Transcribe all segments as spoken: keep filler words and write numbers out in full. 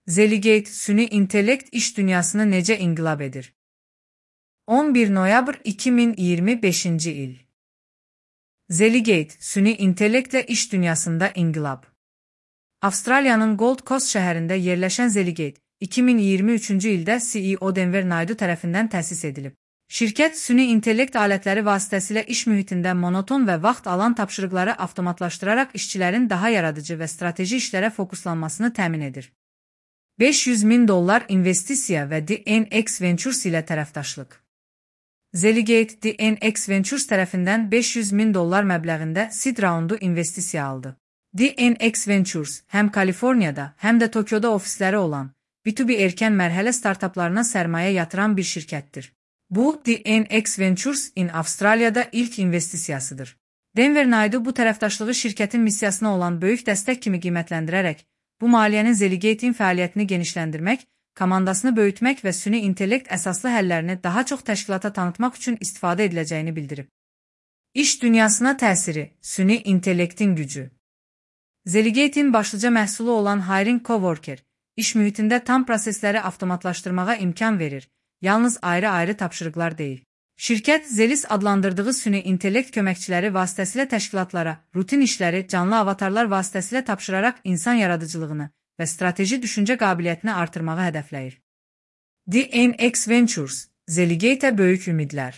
Zeligate, süni intellekt iş dünyasını necə inqilab edir? on bir noyabr iki min iyirmi beşinci il. Zeligate, süni intellektlə iş dünyasında inqilab. Avstraliyanın Gold Coast şəhərində yerləşən Zeligate, iki min iyirmi üçüncü ildə C E O Denver Naidu tərəfindən təsis edilib. Şirkət, süni intellekt alətləri vasitəsilə iş mühitində monoton və vaxt alan tapşırıqları avtomatlaşdıraraq işçilərin daha yaradıcı və strateji işlərə fokuslanmasını təmin edir. beş yüz min dollar investisiya və D N X Ventures ilə tərəfdaşlıq. Zeligate, D N X Ventures tərəfindən beş yüz min dollar məbləğində seed raundu investisiya aldı. D N X Ventures, həm Kaliforniyada, həm də Tokyoda ofisləri olan, B iki B erkən mərhələ startaplarına sərmayə yatıran bir şirkətdir. Bu, D N X Ventures in Avstraliyada ilk investisiyasıdır. Denver Naidu bu tərəfdaşlığı şirkətin missiyasına olan böyük dəstək kimi qiymətləndirərək, bu maliyyənin Zeligate'in fəaliyyətini genişləndirmək, komandasını böyütmək və süni intellekt əsaslı həllərini daha çox təşkilata tanıtmaq üçün istifadə ediləcəyini bildirib. İş dünyasına təsiri, süni intellektin gücü. Zeligate'in başlıca məhsulu olan Hiring Coworker, iş mühitində tam prosesləri avtomatlaşdırmağa imkan verir, yalnız ayrı-ayrı tapşırıqlar deyil. Şirkət, Zelis adlandırdığı süni intellekt köməkçiləri vasitəsilə təşkilatlara, rutin işləri canlı avatarlar vasitəsilə tapşıraraq insan yaradıcılığını və strateji düşüncə qabiliyyətini artırmağı hədəfləyir. D N X Ventures, Zeligate-ə böyük ümidlər.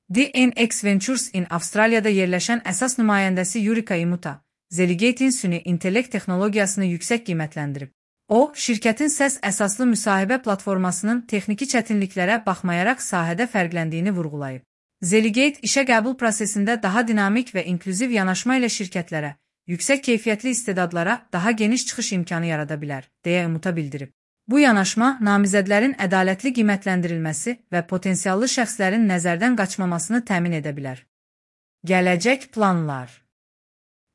D N X Ventures in Avstraliyada yerləşən əsas nümayəndəsi Yurika Imuta, Zeligate'in süni intellekt texnologiyasını yüksək qiymətləndirib. O, şirkətin səs əsaslı müsahibə platformasının texniki çətinliklərə baxmayaraq sahədə fərqləndiyini vurğulayıb. Zeligate, işə qəbul prosesində daha dinamik və inklüziv yanaşma ilə şirkətlərə, yüksək keyfiyyətli istedadlara daha geniş çıxış imkanı yarada bilər, deyə Imuta bildirib. Bu yanaşma, namizədlərin ədalətli qiymətləndirilməsi və potensiallı şəxslərin nəzərdən qaçmamasını təmin edə bilər. Gələcək planlar.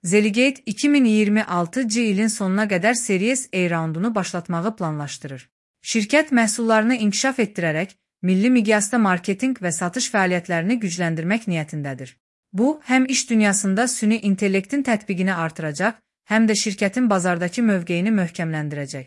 Zeligate, iki min iyirmi altıncı ilin sonuna qədər Series A raundunu başlatmağı planlaşdırır. Şirkət məhsullarını inkişaf etdirərək, milli miqyasda marketinq və satış fəaliyyətlərini gücləndirmək niyyətindədir. Bu, həm iş dünyasında süni intellektin tətbiqini artıracaq, həm də şirkətin bazardakı mövqeyini möhkəmləndirəcək.